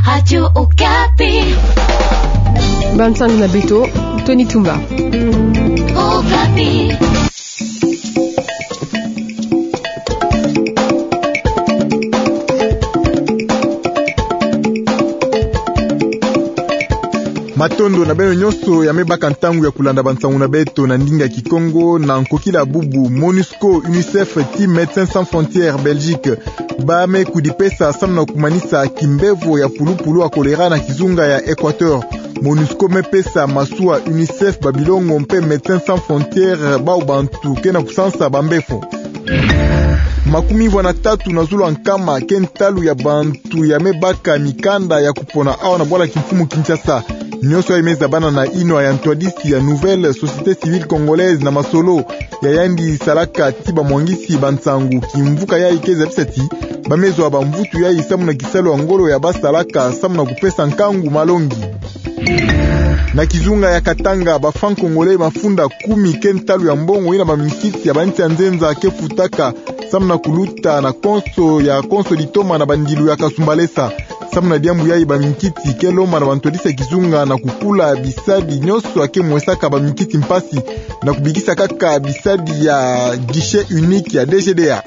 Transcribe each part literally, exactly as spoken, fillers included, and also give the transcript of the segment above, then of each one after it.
Radio Okapi. Bansangu na beto, Tony Tumba. Okapi. Matondo na beno nyonso ya me baka ntangu ya kulanda bansangu na beto na ndinga Kikongo na nkokila bubu. MONUSCO, UNICEF ti Médecins Sans Frontières Belgique ba me kudipesa samu na kumanisa kimbevo ya pulupulu ya choléra na kizunga ya Équateur. MONUSCO me pesa masuwa UNICEF, babilongo mpe Médecins Sans Frontières bau bantu ke na kusansa bambefo. Makumi vwa na tatu na zulu ya nkama ke ntalu ya bantu ya me baka mikanda ya kupona awa na bwala kimfumu Kinshasa. Nyonso yayi me zabana na yinwa ya ntwadisi ya Nouvelle Société Civile Congolaise na masolo ya yandi salaka ti bamwangisi bansangu. Kimvuka yayi ke zabisa ti ba me zwa bamvutu yayi samu na kisalu ya ngolo ya ba salaka samu na kupesa nkangu malongi. Na kizunga ya Katanga, ba francs congolais mafunda kumi ke ntalu ya mbongo yina baminkiti ya bansi ya nzenza ke futaka samu na kuluta na konso ya konso litoma na bandilu ya Kasumbalesa. Samu na diambu yayi, baminkiti ke lomba na bantwadisi ya kizunga na kukula bisadi nyonso ya ke mwesaka baminkiti mpasi na kubikisa kaka bisadi ya guichet unique ya D G D A.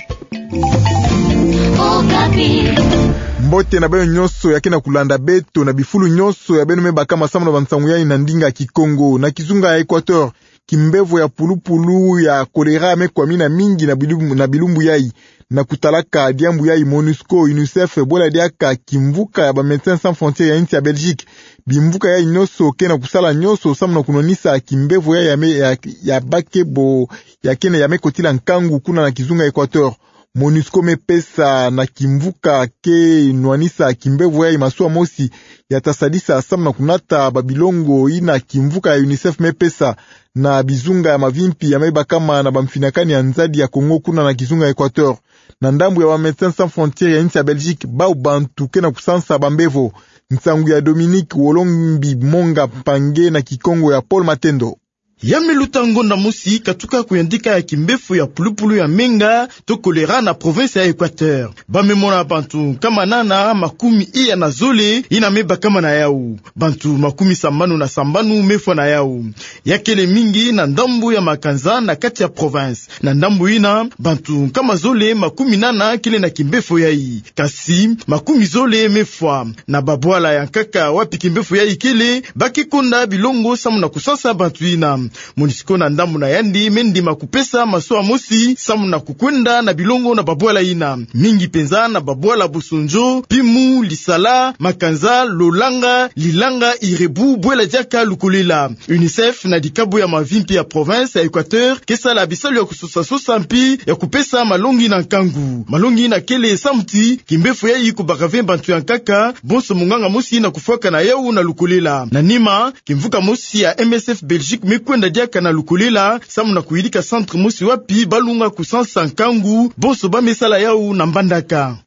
Mbote na beno nyonso ya ke na kulanda beto na bifulu nyonso ya beno me bakama samu na bansangu yayi na ndinga Kikongo. Na kizunga ya Équateur, kimbevo ya pulupulu ya choléra me kwamina mingi na bilumbu, na bilumbu yayi. Na kutalaka diambu yayi, MONUSCO, UNICEF, bwela diaka kimvuka ya ba Médecins Sans Frontières ya insi ya Belgique, bimvuka yayi nyonso ke na kusala nyonso samu na kunwanisa kimbevo yayi ya me, ya, ya bake bo ya ke na ya me kotila nkangu kuna na kizunga Équateur. MONUSCO me pesa na kimvuka ke nwanisa kimbevo yayi masuwa mosi ya ta sadisa samu na kunata babilongo yina kimvuka ya UNICEF me pesa na bizunga ya mavimpi ya me bakama na bamfinakani ya nzadi ya Congo kuna na kizunga Équateur. Na ndambu ya ba Médecins Sans Frontières ya insi ya Belgique, bau bantu ke na kusansa bambevo. Nsangu ya Dominique Wolombi Monga, mpangi na Kikongo ya Paul Matendo. Ya me luta ngonda mosi katuka kuyandika ya kimbefo ya pulupulu ya menga to choléra na province ya Équateur. Ba me mona bantu nkama nana makumi iya na zole yina me bakama na yau. Bantu makumi sambanu na sambanu me fwa na yau. Ya kele mingi na ndambu ya makanza na kati ya province. Na ndambu yina, bantu nkama zole makumi nana kele na kimbefo yayi. Kasi makumi zole me fwa. Na babwala ya nkaka wapi kimbefo yayi kele, ba ke konda bilongo samu na kusansa bantu yina. MONUSCO na ndambu na yandi me ndima kupesa masuwa mosi samu na kukwenda na bilongo na babwala yina. Mingi penza na babwala Bosondjo, Pimu, Lisala, Makanza, Lolanga, Lilanga, Irebu, bwela diaka Lukolela. UNICEF na dikabu ya mavimpi ya province ya Équateur ke sala bisalu ya kusosa-sosa mpi ya kupesa malongi na nkangu. Malongi yina kele samu ti kimbefo yayi kubaka ve bantu ya nkaka, bonso monganga mosi yina kufwaka na yau na Lukolela. Na nima, kimvuka mosi ya M S F Belgique me kwenda diaka na Lukolela samu na kuyidika centre mosi wapi ba lunga kusansa nkangu, bonso ba me sala yau na Mbandaka.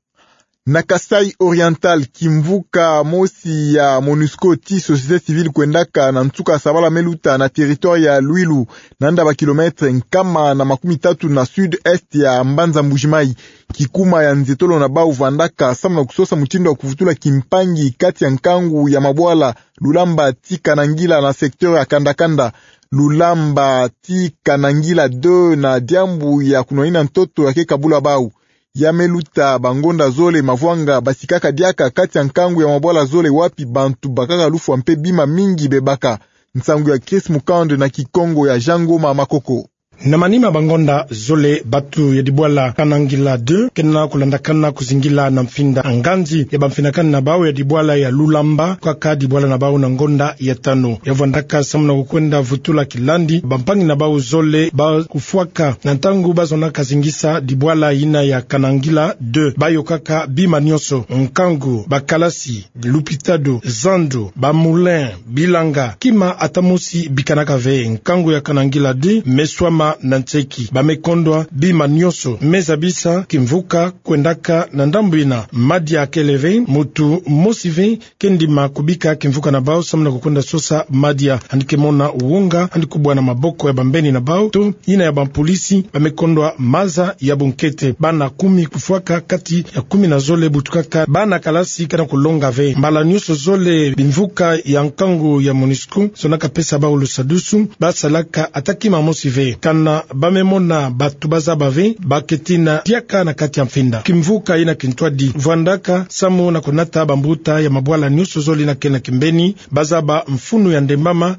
Na Kasaï Oriental, kimvuka mosi ya MONUSCO ti société civile kwendaka na nsuka sabala me luta na territoire ya Luilu, na nda ba kilomètre nkama na makumi tatu na sud-est ya mbanza Mbuji-Mayi. Kikuma ya nzietolo na bau vandaka samu na kusosa mutindu ya kuvutula kimpangi kati ya nkangu ya mabwala Lulamba ti Kanangila na secteur ya Kandakanda, Lulamba ti Kanangila deux, na diambu ya kunwanina ntoto ya ke kabula bau. Ya me luta bangonda zole mavwanga basikaka diaka kati ya nkangu ya mabwala zole wapi bantu bakaka lufwa mpe bima mingi bebaka. Nsangu ya Chris Mukande na Kikongo ya Jean Ngoma Makoko. Na manima bangonda zole, bantu ya dibwala Kanangila deux ke na kulandakana kuzingila na mfinda nganzi ya bamfinakani na bau ya dibwala ya Lulamba, kaka dibwala na bau na ngonda ya tanu. Ya vwandaka samu na kukwenda vutula kilandi bampangi na bau zole ba kufwaka na ntangu ba zonaka zingisa dibwala yina ya Kanangila deux. Ba yokaka bima nyonso, nkangu, bakalasi, lupitalu, zandu, ba moulin, bilanga, kima ata mosi bikanaka ve. Nkangu ya Kanangila deux me swama na nseki. Ba me kondwa bima nionso me zabisa kimvuka kwendaka na ndambu ina. Madia kele ve, mutu mosi ve ke ndima kubika kimvuka na bau samu na kukwenda sosa madia. Yandi ke mona wonga, yandi kubwana maboko ya bambeni na bau to ina ya bampolisi. Ba me kondwa maza ya bunkete. Bana kumi kufwaka kati ya kumi na zole butukaka bana kalasi ke na kulonga ve. Mbala nionso zole bimvuka ya nkangu ya MONUSCO zonaka pesa bau lusadusu, ba salaka ata kima mosi ve. Kana ba me mona batu ba zaba ve, ba ke tina diaka na kati ya mfinda. Kimvuka ina kintwadi vwandaka samu na kunata bambuta ya mabwala nionso zole ina ke na kimbeni, ba zaba mfunu ya ndembama.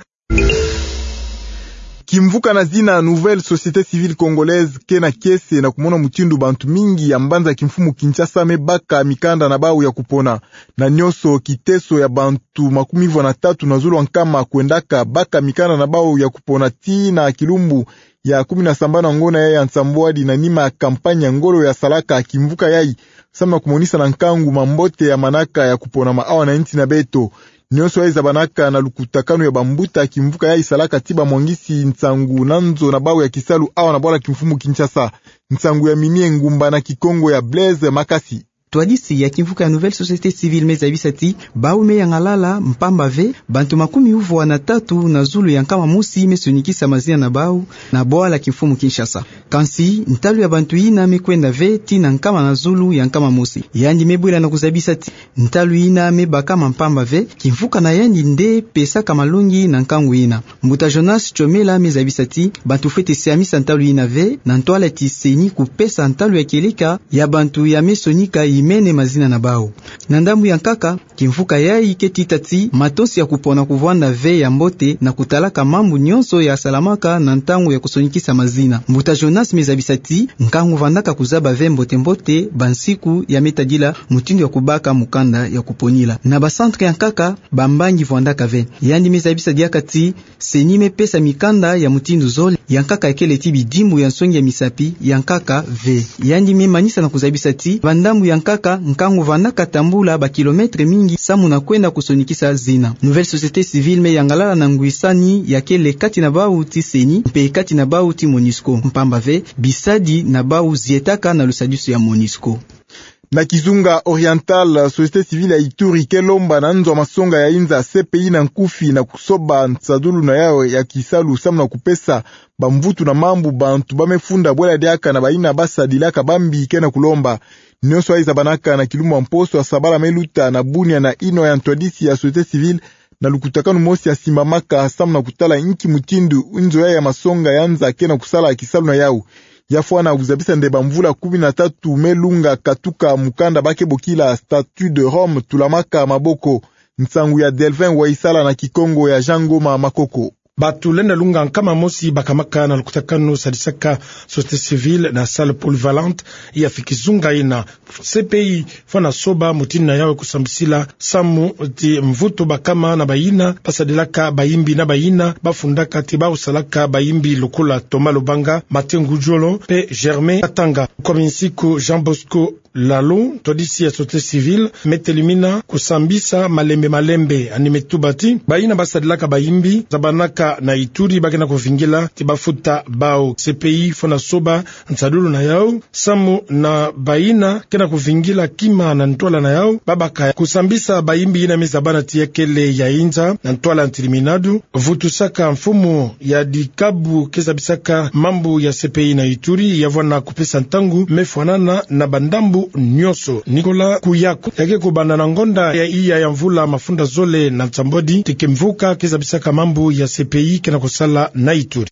Kimvuka na zina Nouvelle Société Civile Congolaise ke na kiese na kumona mutindu bantu mingi ya mbanza kimfumu Kinshasa me baka mikanda na bau ya kupona. Na nionso kiteso ya bantu makumi vwa na tatu na zulu wa nkama kwendaka baka mikanda na bau ya kupona tii na kilumbu ya kumi na sambanu ya ngona yayi ya nsambwadi, na nima ya kampanye ya ngolo ya salaka kimvuka yayi samu na kumonisa na nkangu mambote ya manaka ya kuponama awa na nsi na beto. Nionso yayi zabanaka na lukutakanu ya bambuta kimvuka yayi salaka ti bamwangisi nsangu na nzo na bau ya kisalu awa na bwala kimfumu Kinshasa. Nsangu ya Mimi Engumba na Kikongo ya Blaise Makasi. Ntwadisi ya kimvuka ya Nouvelle Société Civile me zabisa ti bau me yangalala mpamba ve bantu makumi uvwa na tatu na zulu ya nkama mosi me sonikisa mazina na bau na bwala kimfumu Kinshasa. Kansi ntalu ya bantu ina me kwenda ve tii na nkama na zulu ya nkama mosi. Yandi me bwila na kuzabisa ti ntalu ina me bakama mpamba ve, kimvuka na yandi nde pesaka malongi na nkangu ina. Mbuta Jonas Chomela me zabisa ti bantu fwete siamisa ntalu ina ve, na ntwala ti CENI kupesa ntalu ya kieleka ya bantu ya me sonika imene mazina na bau. Na ndambu ya nkaka, kimvuka yayi ke tita ti matonsi ya kupona kuvwanda ve ya mbote na kutalaka mambu nionso ya salamaka na ntangu ya kusonikisa mazina. Mbuta Jonas me zabisa ti nkangu vandaka kuzaba ve mbote-mbote bansiku ya me tadila mutindu ya kubaka mukanda ya kuponila. Na ba centre ya nkaka, bambangi vwandaka ve. Yandi me zabisa diaka ti CENI me pesa mikanda ya mutindu zole, ya nkaka ya kele ti bidimbu ya nsongi ya misapi, ya nkaka ve. Yandi me manisa na kuzabisa ti bandambu ya nkaka, nkangu vandaka tambula ba kilomètre mingi samu na kwenda kusonikisa zina. Nouvelle Société Civile me yangalala na ngwisani ya kele kati na bau ti CENI mpe kati na bau ti MONUSCO, mpamba ve bisadi na bau zietaka na lusadusu ya MONUSCO. Na Kizunga Oriental, Société Civile ya Ituri ke lomba na nzo ya masonga ya inza, C P I na nkufi, na kusoba nsadulu na yawu ya kisalu samu na kupesa bamvutu na mambu bantu ba me funda bwela diaka na bayina ba sadilaka bambi ke na kulomba. Nionso yayi zabanaka na kilumbu ya mposo ya sabala me luta na bunia na ino ya ntwadisi ya Société Civile, na lukutakanu mosi ya simbamaka samu na kutala inki mutindu nzo yayi ya masonga ya nza ke na kusala kisalu na yawu. Ya fwana kuzabisa nde bamvula kumi na tatu me lunga katuka mukanda ba ke bokila Statut de Rome tulamaka maboko. Nsangu ya Delvin Waisala na Kikongo ya Jean Ngoma Makoko. Batu lenda lunga nkama mosi bakamaka na lukutakanu sadisaka Société Civile na salle polyvalente ya Kizunga ina. C P I fwana soba mutindu na yawu kusambisila samu ti mvutu bakama na bayina ba sadilaka bayimbi na bayina ba fundaka ti bau salaka bayimbi, lokola Thomas Lubanga, Mathieu Ngudjolo mpe Germain Katanga. Kwa minsiku Jean Bosco Lalo, ntwadisi ya Société Civile, me telimina kusambisa malembe malembe, yandi me tuba ti bayina ba sadilaka bayimbi zabanaka na Ituri ba ke na kuvingila ti ba futa bau. C P I fwana soba nsadulu na yawu samu na bayina ke na kuvingila kima na ntwala na yawu, ba baka kusambisa bayimbi yina me zabana ti ya kele ya inza na ntwala ntilimina du. Vutusaka mfumu ya dikabu ke zabisaka mambu ya C P I na Ituri ya vwana kupesa ntangu me fwanana na bandambu nionso. Nicolas Kouyakou, ya ke kubanda na ngonda ya iya ya mvula mafunda zole na nsambwadi ti kimvuka ke zabisaka mambu ya C P I ke na kusala na Ituri.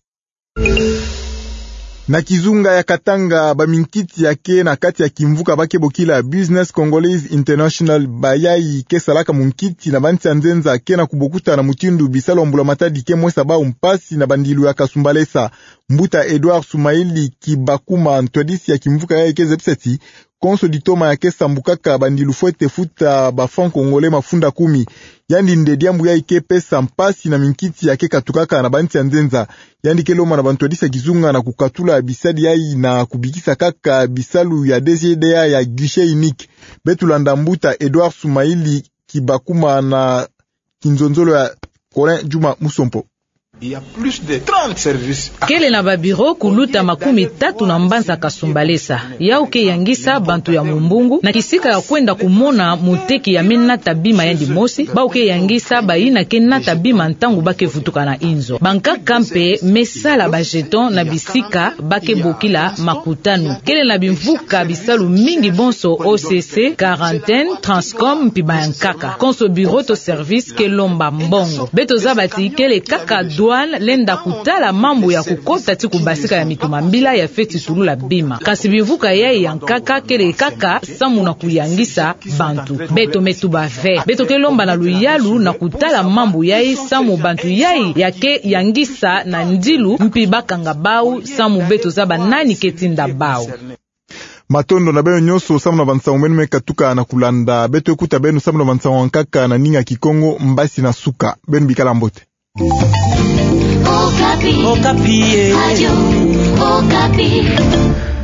Na Kizunga ya Katanga, baminkiti ya ke na kati ya kimvuka ba ke bokila Business Congolese International, bayayi ke salaka munkiti na bansi ya nzenza, ke na kubokuta na mutindu bisalu ya mbula matadi ke mwesa bau mpasi na bandilu ya kasumbalesa. Mbuta Edouard Soumaïli Kibakuma, ntwadisi ya kimvuka yayi, ke zabisa ti konso ditoma ya ke sambukaka bandilu fwete futa ba francs congolais mafunda kumi. Yandi nde diambu yayi ke pesa mpasi na minkiti ya ke katukaka na bansi ya nzenza. Yandi ke lomba na bantwadisi ya kizunga na kukatula bisadi yayi na kubikisa kaka bisalu ya D G D A ya guichet unique. Beto landa mbuta Edouard Soumaïli Kibakuma na kinzonzolo ya Colin Djuma Musompo. Il y a plus de trente services. Kele na ba bureau kuluta makumi tatu na mbanza Kasumbalesa. Yau ke yangisa bantu ya mumbungu na kisika ya kwenda kumona moteki ya me nata bima yandi mosi, bau ke yangisa bayina ke nata bima ntangu ba ke vutuka na inzo. Bankaka mpe me sala ba jeton na bisika ba ke bokila makutano. Kele na bimvuka bisalu mingi bonso, O C C, quarantaine, Transcom, mpi bayankaka. Konso bureau to service ke lomba mbongo. Beto zaba ti kele kaka douane lenda kutala mambu ya kukota ti kubasika ya mituma mbila ya feti tulula bima. Kasi bimvuka yai ya nkaka kele kaka samu na kuyangisa bantu. Beto me tuba ve. Beto ke lomba na luyalu na kutala mambu yai samu bantu yai ya ke yangisa na ndilu mpi ba kanga bau samu beto zaba nani ke tinda bau. Matondo na beno nyonso samu na bansangu meno me katuka na kulanda. Beto ke kuta beno samu na bansangu ya nkaka na ninga Kikongo mbasi na suka. Beno bikala mbote. Okapi. Okapi, eh. Radio Okapi.